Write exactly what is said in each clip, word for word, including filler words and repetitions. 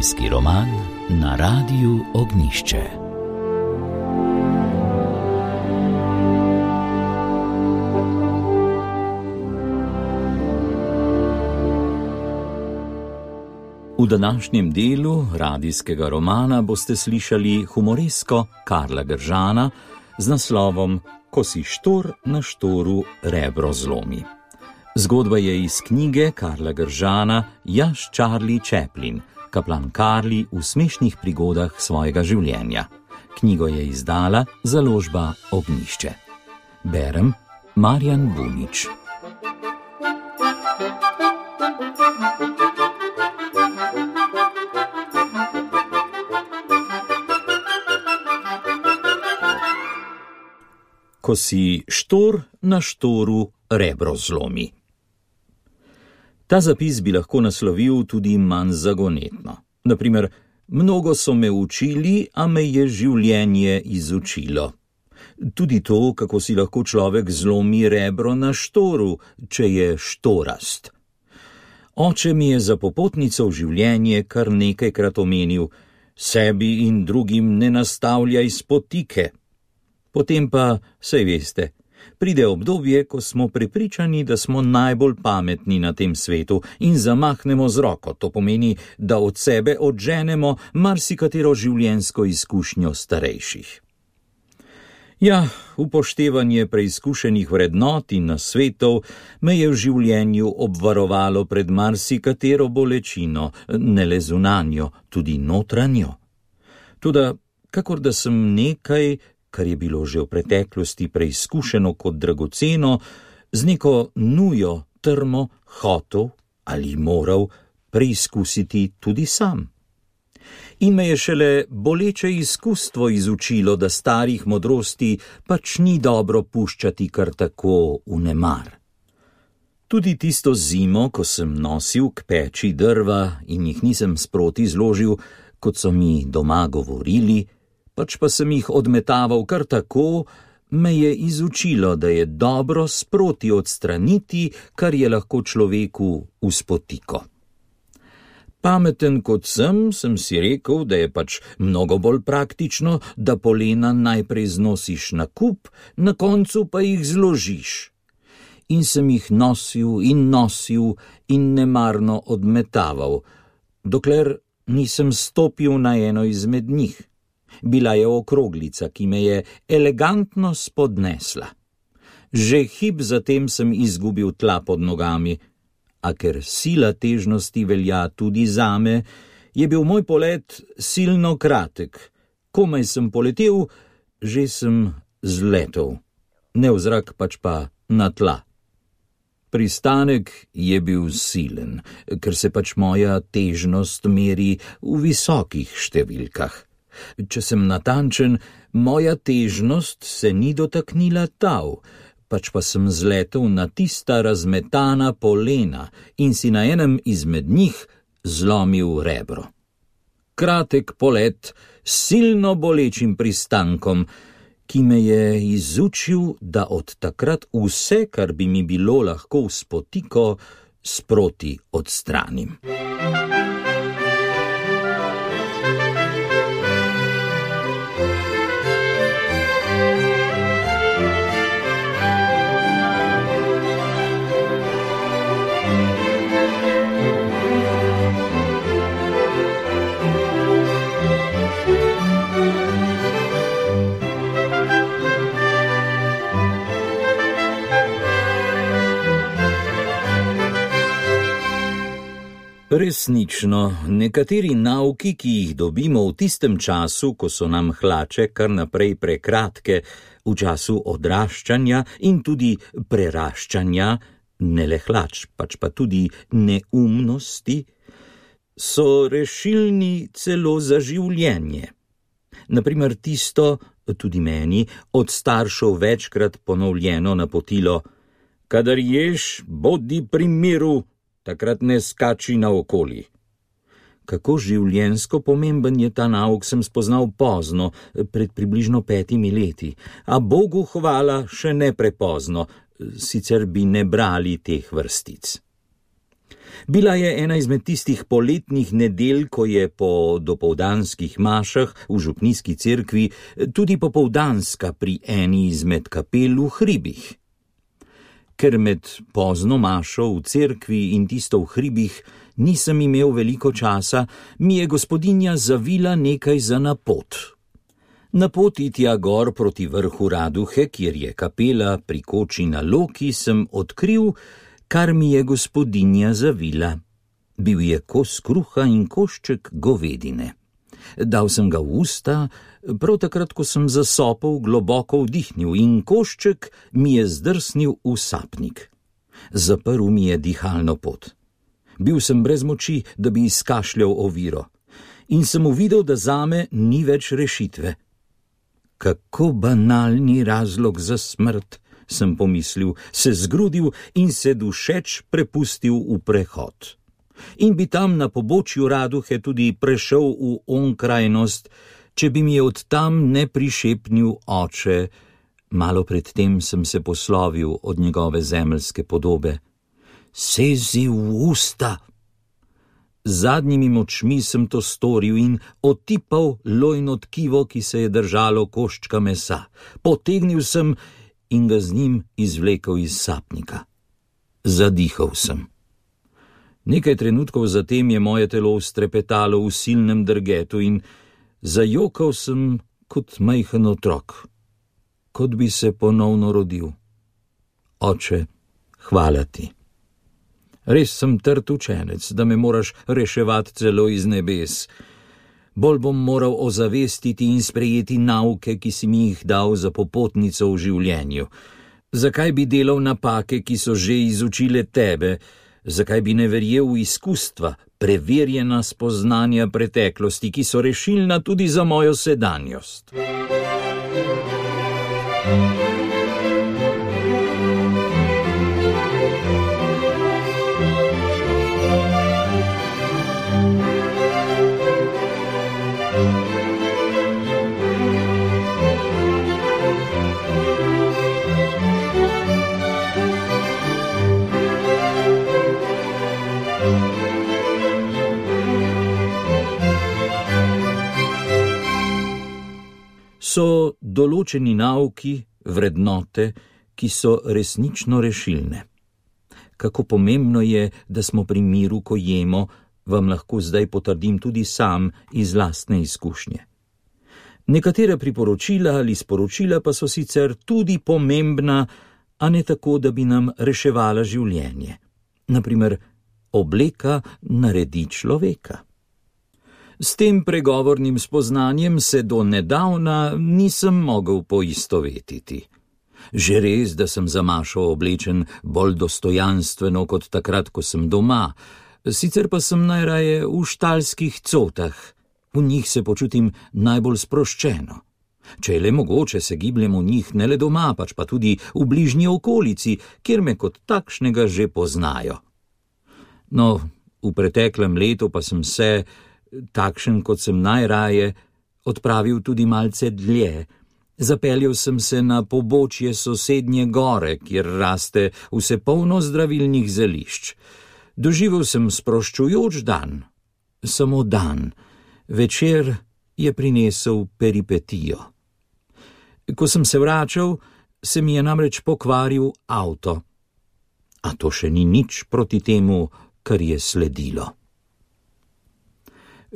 Radijski roman na Radiu Ognjišče. V današnjem delu radijskega romana boste slišali humoresko Karla Gržana z naslovom Ko si štor na štoru rebro zlomi. Zgodba je iz knjige Karla Gržana Jaš Charlie Chaplin, kaplan Karli v smešnih prigodah svojega življenja. Knjigo je izdala založba Ognjišče. Berem Marjan Bunič. Ko si štor na štoru rebro zlomi. Ta zapis bi lahko naslovil tudi manj zagonetno. Naprimer, mnogo so me učili, a me je življenje izučilo. Tudi to, kako si lahko človek zlomi rebro na štoru, če je štorast. Oče mi je za popotnico v življenje kar nekajkrat omenil: sebi in drugim ne nastavljaj spotike. Potem pa, saj veste, pride obdobje, ko smo prepričani, da smo najbolj pametni na tem svetu in zamahnemo z roko. To pomeni, da od sebe odženemo marsikatero življenjsko izkušnjo starejših. Ja, upoštevanje preizkušenih vrednot in nasvetov me je v življenju obvarovalo pred marsikatero bolečino, ne le zunanjo, tudi notranjo. Toda, kakor da sem nekaj, kar je bilo že v preteklosti preizkušeno kot dragoceno, z neko nujo, trmo, hotel ali moral preizkusiti tudi sam. In me je šele boleče izkustvo izučilo, da starih modrosti pač ni dobro puščati kar tako v nemar. Tudi tisto zimo, ko sem nosil k peči drva in jih nisem sproti zložil, kot so mi doma govorili, pač pa sem jih odmetaval kar tako, me je izučilo, da je dobro sproti odstraniti, kar je lahko človeku v spotiko. Pameten kot sem, sem si rekel, da je pač mnogo bolj praktično, da polena najprej znosiš na kup, na koncu pa jih zložiš. In sem jih nosil in nosil in nemarno odmetaval, dokler nisem stopil na eno izmed njih. Bila je okroglica, ki me je elegantno spodnesla. Že hip zatem sem izgubil tla pod nogami, a ker sila težnosti velja tudi zame, je bil moj polet silno kratek. Komaj sem poletel, že sem zletel. Ne v zrak, pač pa na tla. Pristanek je bil silen, ker se pač moja težnost meri v visokih številkah. Če sem natančen, moja težnost se ni dotaknila tal, pač pa sem zletel na tista razmetana polena in si na enem izmed njih zlomil rebro. Kratek polet s silno bolečim pristankom, ki me je izučil, da od takrat vse, kar bi mi bilo lahko v spotiko, sproti odstranim. Resnično, nekateri nauki, ki jih dobimo v tistem času, ko so nam hlače kar naprej prekratke, v času odraščanja in tudi preraščanja, ne le hlač, pač pa tudi neumnosti, so rešilni celo za življenje. Naprimer tisto, tudi meni, od staršev večkrat ponovljeno napotilo: kadar ješ, bodi pri miru, takrat ne skači naokoli. Kako življenjsko pomemben je ta nauk, sem spoznal pozno, pred približno petimi leti, a Bogu hvala še ne prepozno, sicer bi ne brali teh vrstic. Bila je ena izmed tistih poletnih nedelj, ko je po dopoldanskih mašah v župnijski cerkvi tudi popoldanska pri eni izmed kapel v hribih. Ker med pozno mašo v cerkvi in tisto v hribih nisem imel veliko časa, mi je gospodinja zavila nekaj za na pot. Na poti tja gor proti vrhu Raduhe, kjer je kapela pri koči na Loki, sem odkril, kar mi je gospodinja zavila. Bil je kos kruha in košček govedine. Dal sem ga v usta, prav takrat, ko sem zasopel globoko vdihnil in košček mi je zdrsnil v sapnik. Zaprl mi je dihalno pot. Bil sem brez moči, da bi izkašljal oviro. In sem uvidel, da zame ni več rešitve. Kako banalni razlog za smrt, sem pomislil, se zgrudil in se dušeč prepustil v prehod. In bi tam na pobočju Raduhe tudi prešel v onkrajnost, če bi mi je od tam ne prišepnil oče. Malo pred tem sem se poslovil od njegove zemeljske podobe. Sezi v usta! Z zadnjimi močmi sem to storil in otipal lojno tkivo, ki se je držalo koščka mesa. Potegnil sem in ga z njim izvlekel iz sapnika. Zadihal sem. Nekaj trenutkov zatem je moje telo strepetalo v silnem drgetu in zajokal sem kot majhen otrok, kot bi se ponovno rodil. Oče, hvala ti. Res sem trd učenec, da me moraš reševati celo iz nebes. Bolj bom moral ozavestiti in sprejeti nauke, ki si mi jih dal za popotnico v življenju. Zakaj bi delal napake, ki so že izučile tebe? Zakaj bi ne verjel v izkustva, preverjena spoznanja preteklosti, ki so rešilna tudi za mojo sedanjost? So določeni nauki, vrednote, ki so resnično rešilne. Kako pomembno je, da smo pri miru, ko jemo, vam lahko zdaj potrdim tudi sam iz lastne izkušnje. Nekatera priporočila ali sporočila pa so sicer tudi pomembna, a ne tako, da bi nam reševala življenje. Naprimer, obleka naredi človeka. S tem pregovornim spoznanjem se do nedavna nisem mogel poistovetiti. Že res, da sem za mašo oblečen bolj dostojanstveno kot takrat, ko sem doma, sicer pa sem najraje v štalskih cotah. V njih se počutim najbolj sproščeno. Če je le mogoče, se gibljem v njih ne le doma, pač pa tudi v bližnji okolici, kjer me kot takšnega že poznajo. No, v preteklem letu pa sem se, takšen kot sem najraje, odpravil tudi malce dlje. Zapeljal sem se na pobočje sosednje gore, kjer raste vse polno zdravilnih zelišč. Doživel sem sproščujoč dan. Samo dan. Večer je prinesel peripetijo. Ko sem se vračal, se mi je namreč pokvaril avto. A to še ni nič proti temu, kar je sledilo.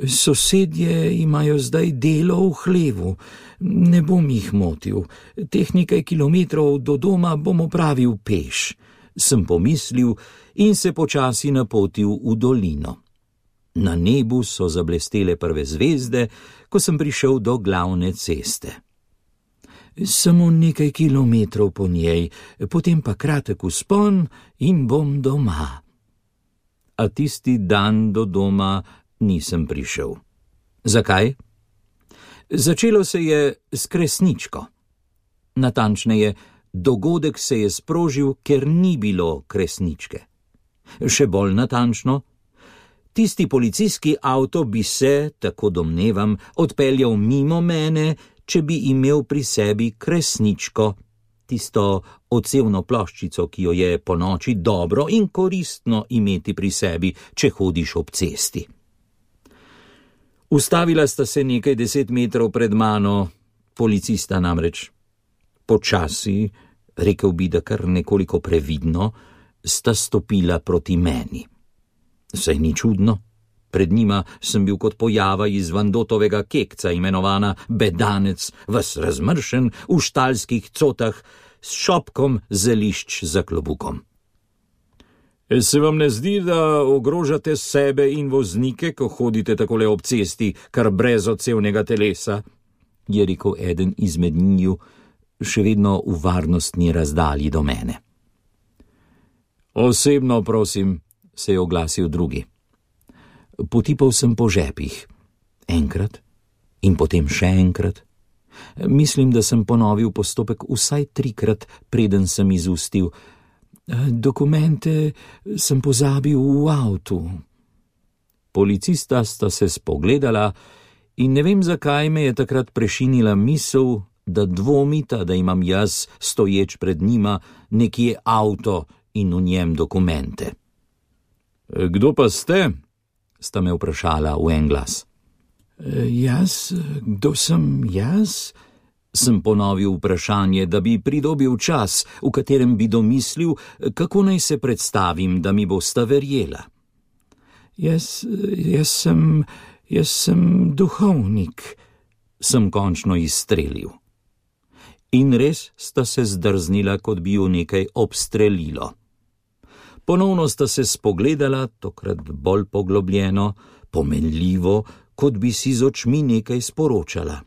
Sosedje imajo zdaj delo v hlevu. Ne bom jih motil. Teh nekaj kilometrov do doma bom opravil peš, sem pomislil in se počasi napotil v dolino. Na nebu so zablestele prve zvezde, ko sem prišel do glavne ceste. Samo nekaj kilometrov po njej, potem pa kratek vzpon in bom doma. A tisti dan do doma nisem prišel. Zakaj? Začelo se je s kresničko. Natančneje, dogodek se je sprožil, ker ni bilo kresničke. Še bolj natančno, tisti policijski avto bi se, tako domnevam, odpeljal mimo mene, če bi imel pri sebi kresničko. tisto odsevno ploščico, ki jo je po noči dobro in koristno imeti pri sebi, če hodiš ob cesti. Ustavila sta se nekaj deset metrov pred mano, policista namreč. Počasi, rekel bi, da kar nekoliko previdno, sta stopila proti meni. Saj ni čudno. Pred njima sem bil kot pojava iz Vandotovega kekca, imenovana bedanec, ves razmršen v štalskih cotah, s šopkom zelišč za klobukom. Se vam ne zdi, da ogrožate sebe in voznike, ko hodite takole ob cesti, kar brez odsevnega telesa? Je rekel eden izmed njiju, še vedno v varnostni razdalji do mene. Osebno, prosim, se je oglasil drugi. Potipal sem po žepih. Enkrat in potem še enkrat. Mislim, da sem ponovil postopek vsaj trikrat, preden sem izustil. Dokumente sem pozabil v avtu. Policista sta se spogledala in ne vem, zakaj me je takrat prešinila misel, da dvomita, da imam jaz, stoječ pred njima, nekje avto in v njem dokumente. Kdo pa ste? Sta me vprašala v en glas. Jaz? Kdo sem jaz? Sem ponovil vprašanje, da bi pridobil čas, v katerem bi domislil, kako naj se predstavim, da mi bosta verjela. Jaz, jaz sem, jaz sem duhovnik, sem končno izstrelil. In res sta se zdrznila, kot bi ju nekaj obstrelilo. Ponovno sta se spogledala, tokrat bolj poglobljeno, pomenljivo, kot bi si z očmi nekaj sporočala.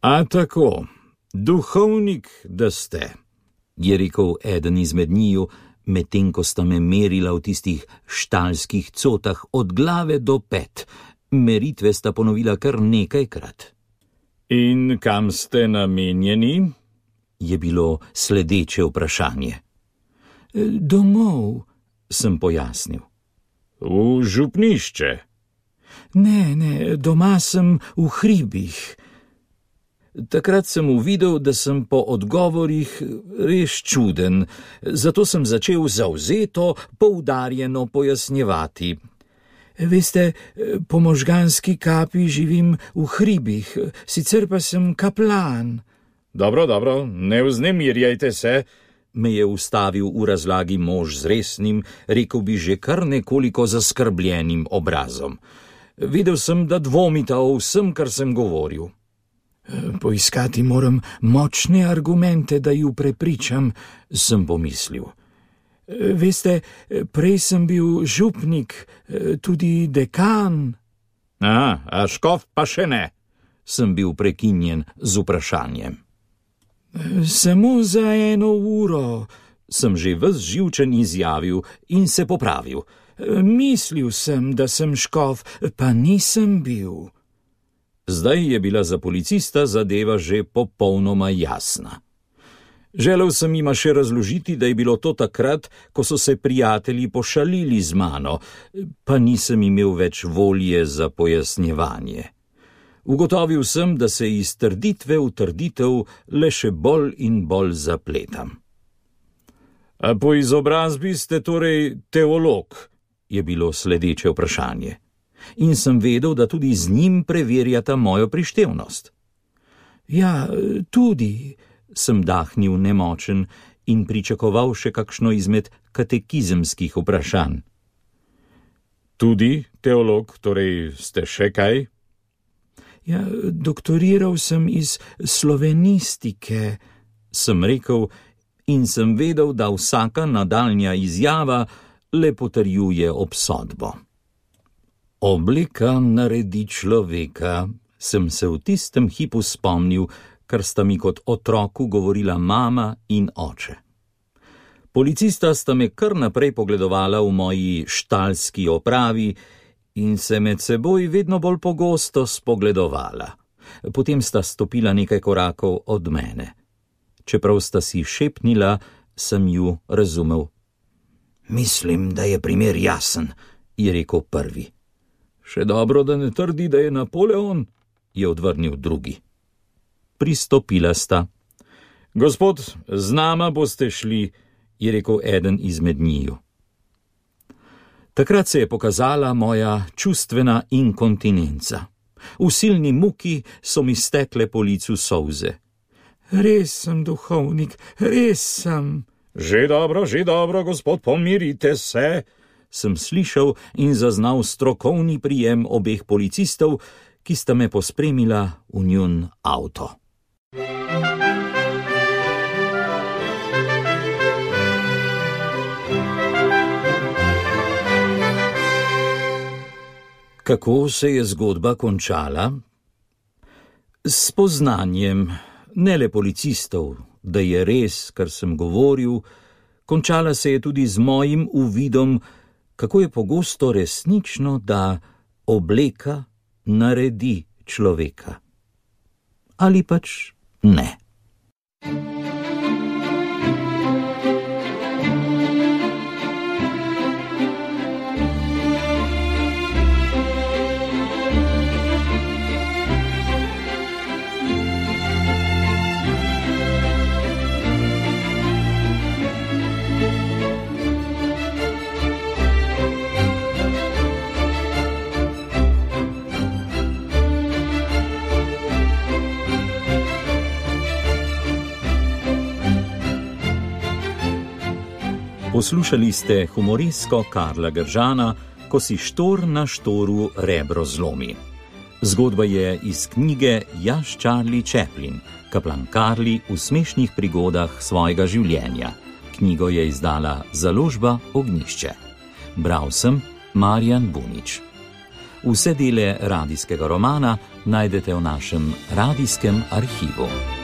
A tako, duhovnik, da ste, je rekel eden izmed njiju, medtem ko sta me merila v tistih štalskih cotah od glave do pet. Meritve sta ponovila kar nekajkrat. In kam ste namenjeni? Je bilo sledeče vprašanje. Domov, sem pojasnil. V župnišče? Ne, ne, doma sem v hribih. Takrat sem uvidel, da sem po odgovorih res čuden, zato sem začel zavzeto, poudarjeno pojasnjevati. Veste, po možganski kapi živim v hribih, sicer pa sem kaplan. Dobro, dobro, ne vznemirjajte se, me je ustavil v razlagi mož z resnim, rekel bi že kar nekoliko zaskrbljenim obrazom. Videl sem, da dvomita o vsem, kar sem govoril. Poiskati moram močne argumente, da ju prepričam, sem pomislil. Veste, prej sem bil župnik, tudi dekan. A, a škof pa še ne, sem bil prekinjen z vprašanjem. Samo za eno uro, sem že ves živčen izjavil in se popravil. Mislil sem, da sem škof, pa nisem bil. Zdaj je bila za policista zadeva že popolnoma jasna. Želel sem jima še razložiti, da je bilo to takrat, ko so se prijatelji pošalili z mano, pa nisem imel več volje za pojasnjevanje. Ugotovil sem, da se iz trditve v trditev le še bolj in bolj zapletam. A po izobrazbi ste torej teolog, je bilo sledeče vprašanje. In sem vedel, da tudi z njim preverjata mojo prištevnost. Ja, tudi, sem dahnil nemočen in pričakoval še kakšno izmed katekizemskih vprašanj. Tudi teolog, torej ste še kaj? Ja, doktoriral sem iz slovenistike, sem rekel, in sem vedel, da vsaka nadaljnja izjava le potrjuje obsodbo. Oblika naredi človeka, sem se v tistem hipu spomnil, kar sta mi kot otroku govorila mama in oče. Policista sta me kar naprej pogledovala v moji štalski opravi in se med seboj vedno bolj pogosto spogledovala. Potem sta stopila nekaj korakov od mene. Čeprav sta si šepnila, sem ju razumel. Mislim, da je primer jasen, je rekel prvi. Še dobro, da ne trdi, da je Napoleon, je odvrnil drugi. Pristopila sta. Gospod, z nama boste šli, je rekel eden izmed njiju. Takrat se je pokazala moja čustvena inkontinenca. V silni muki so mi stekle po licu solze. Res sem, duhovnik, res sem. Že dobro, že dobro, gospod, pomirite se, sem slišal in zaznal strokovni prijem obeh policistov, ki sta me pospremila v njun avto. Kako se je zgodba končala? S spoznanjem, ne le policistov, da je res, kar sem govoril, končala se je tudi z mojim uvidom, kako je pogosto resnično, da obleka naredi človeka. Ali pač ne. Poslušali ste humoristko Karla Gržana, Ko si štor na štoru rebro zlomi. Zgodba je iz knjige Jaz Charlie Chaplin, kaplan Karli v smešnih prigodah svojega življenja. Knjigo je izdala založba Ognjišče. Bral sem Marjan Bunič. Vse dele radijskega romana najdete v našem radijskem arhivu.